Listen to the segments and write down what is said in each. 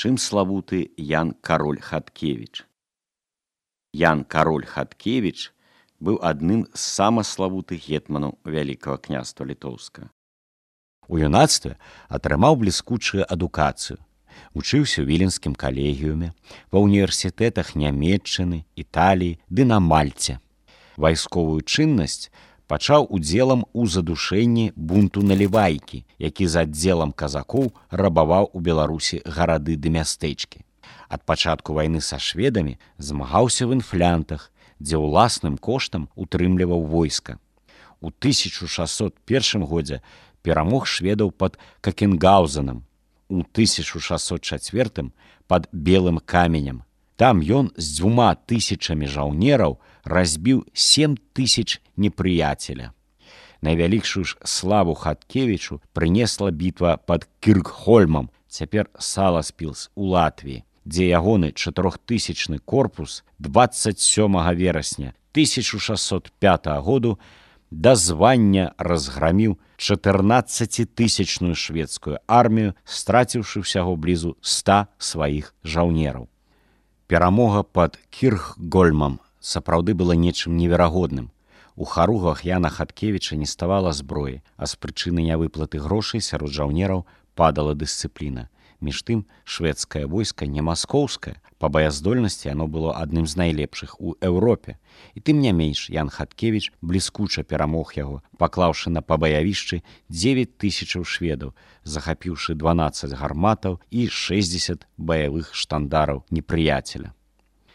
чым славуты Ян Кароль Хаткевіч. Ян Кароль Хаткевіч быў адным з самаславутых гетманаў Вялікага княства Літоўскага. У юнацтве атрымаў бліскучую адукацыю. Вучыўся ў віленскім калегіуме, ва ўніверсітэтах Нямецчыны, Італіі ды на Мальце. Вайсковую чыннасць пачаў удзелам у задушэнні бунту Налівайкі, які з аддзелам казакоў рабаваў у Беларусі гарады ды мястэчкі. Ад пачатку вайны са шведамі змагаўся в інфлянтах, дзе ўласным коштам утрымліваў войска. У 1601 годзе перамог шведаў пад Какенгаузенам, у 1604 пад Белым каменем. Там ён з 2000 жаўнераў разбіў 7000 непрыяцеля. Найвялікшую ж славу Хаткевічу прынесла бітва пад Кіркхольмам, цяпер Саласпілс у Латвіі, дзе ягоны 4000 корпус 27 верасня 1605 году да звання разграміў 14-тысячную шведскую армію, страціўшы ўсяго блізу 100 сваіх жаўнераў. Перамога пад Кірхгольмам сапраўды была нечым неверагодным. У харугах Яна Хаткевіча не ставала зброі, а з прычыны нявыплаты грошай сярод жаўнераў падала дысцыпліна. Між тым, шведскае войска не маскоўскае, па баяздольнасці яно было адным з найлепшых у Еўропе. І тым не менш, Ян Хаткевіч бліскуча перамог яго, паклаўшы на пабаявішчы 9000 шведаў, захапіўшы 12 гарматаў і 60 баявых штандараў непрыяцеля.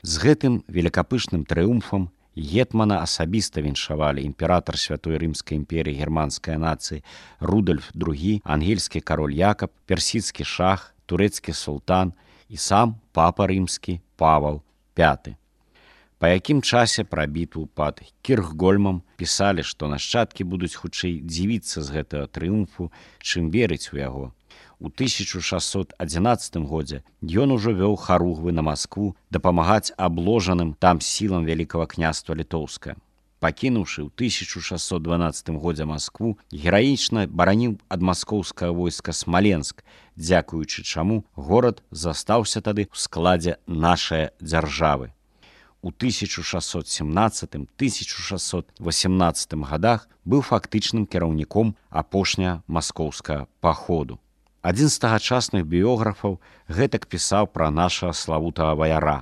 З гэтым великапышным трыумфам гетмана асабіста віншавалі імператар Святой Рымскай імперіі германскай нацыі Рудольф II, ангельскі кароль Якаб, персідскі шах, турэцкі султан і сам папа рымскі Павал V. Па якім часе пра бітву пад Кірхгольмам пісалі, што нашчадкі будуць хутчэй дзівіцца з гэтага трыумфу, чым верыць у яго. У 1611 годзе ён ужо вёў харугвы на Маскву дапамагаць абложаным там сілам Вялікага княства Літоўскага. Пакінуўшы ў 1612 годзе Маскву, гераічна бараніў ад маскоўскага войска Смаленск, дзякуючы чаму горад застаўся тады ў складзе нашай дзяржавы. У 1617-1618 годах быў фактычным кіраўніком апошняга маскоўскага паходу. Адзін з тагачасных біёграфаў гэтак пісаў пра нашага славутага ваяра.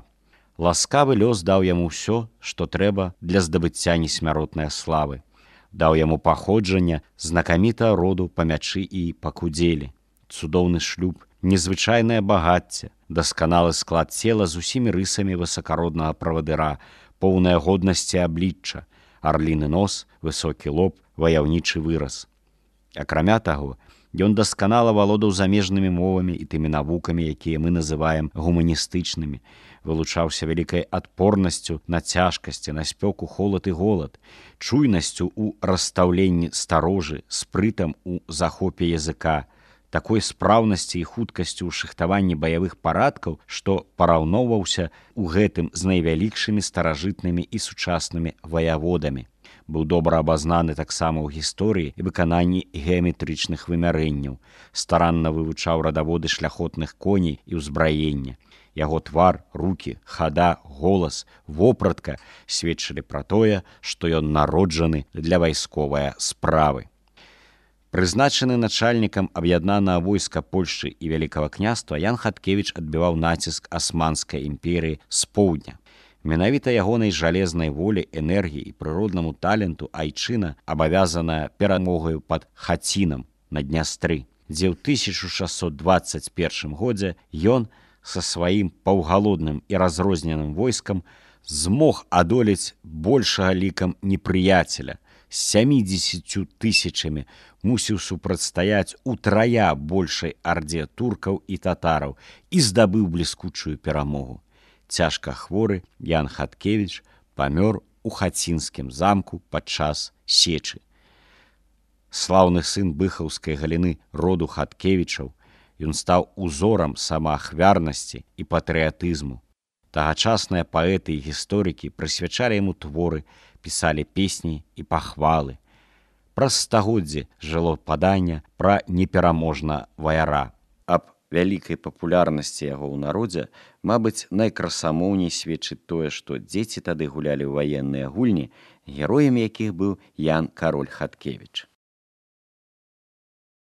Ласкавы лёс даў яму ўсё, што трэба для здабыцця несмяротнай славы. Даў яму паходжанне знакамітага роду па мячы і па кудзелі, цудоўны шлюб, незвычайнае багацце, дасканалы склад цела з усімі рысамі высакароднага правадыра, поўная годнасці аблічча, арліны нос, высокі лоб, ваяўнічы выраз. Акрамя таго, ён дасканала валодаў замежнымі мовамі і тымі навукамі, якія мы называем гуманістычнымі, вылучаўся вялікай адпорнасцю на цяжкасці, на спёку, холад і голад, чуйнасцю ў расстаўленні старожы, спрытам у захопе языка, такой спраўнасці і хуткасцю ў шыхтаванні баявых парадкаў, што параўноўваўся ў гэтым з найвялікшымі старажытнымі і сучаснымі ваяводамі. Быў добра абазнаны таксама ў гісторыі і выкананні геаметрычных вымярэнняў, старанна вывучаў радаводы шляхотных коней і ўзбраення. Яго твар, рукі, хада, голас, вопратка сведчылі пра тое, што ён народжаны для вайсковай справы. Прызначаны начальнікам аб'яднанага войска Польшчы і Вялікага княства, Ян Хаткевіч адбіваў націск Асманскай імперіі з поўдня. Менавіта ягонай жалезнай волі, энергіі і прыроднаму таленту айчына абавязаная перамогаю пад Хацінам на Днястры, дзе ў 1621 годзе ён са сваім паўгалодным і разрозненым войскам змог адолець большага лікам непрыяцеля, з 70 000 мусіў супрацьстаяць утрая большай ардзе туркаў і татараў і здабыў бліскучую перамогу. Цяжка хворы Ян Хаткевіч памёр у Хацінскім замку падчас сечы. Слаўны сын быхаўскай галіны роду Хаткевічаў, ён стаў узорам самаахвярнасці і патрыятызму. Тагачасныя паэты і гісторыкі прысвячалі яму творы, пісалі песні і пахвалы. Праз стагоддзі жыло паданне пра непераможна ваяра. Аб вялікай папулярнасці яго ў народзе, мабыць, найкрасамоўней сведчыць тое, што дзеці тады гулялі ў ваенныя гульні, героем якіх быў Ян Кароль Хаткевіч.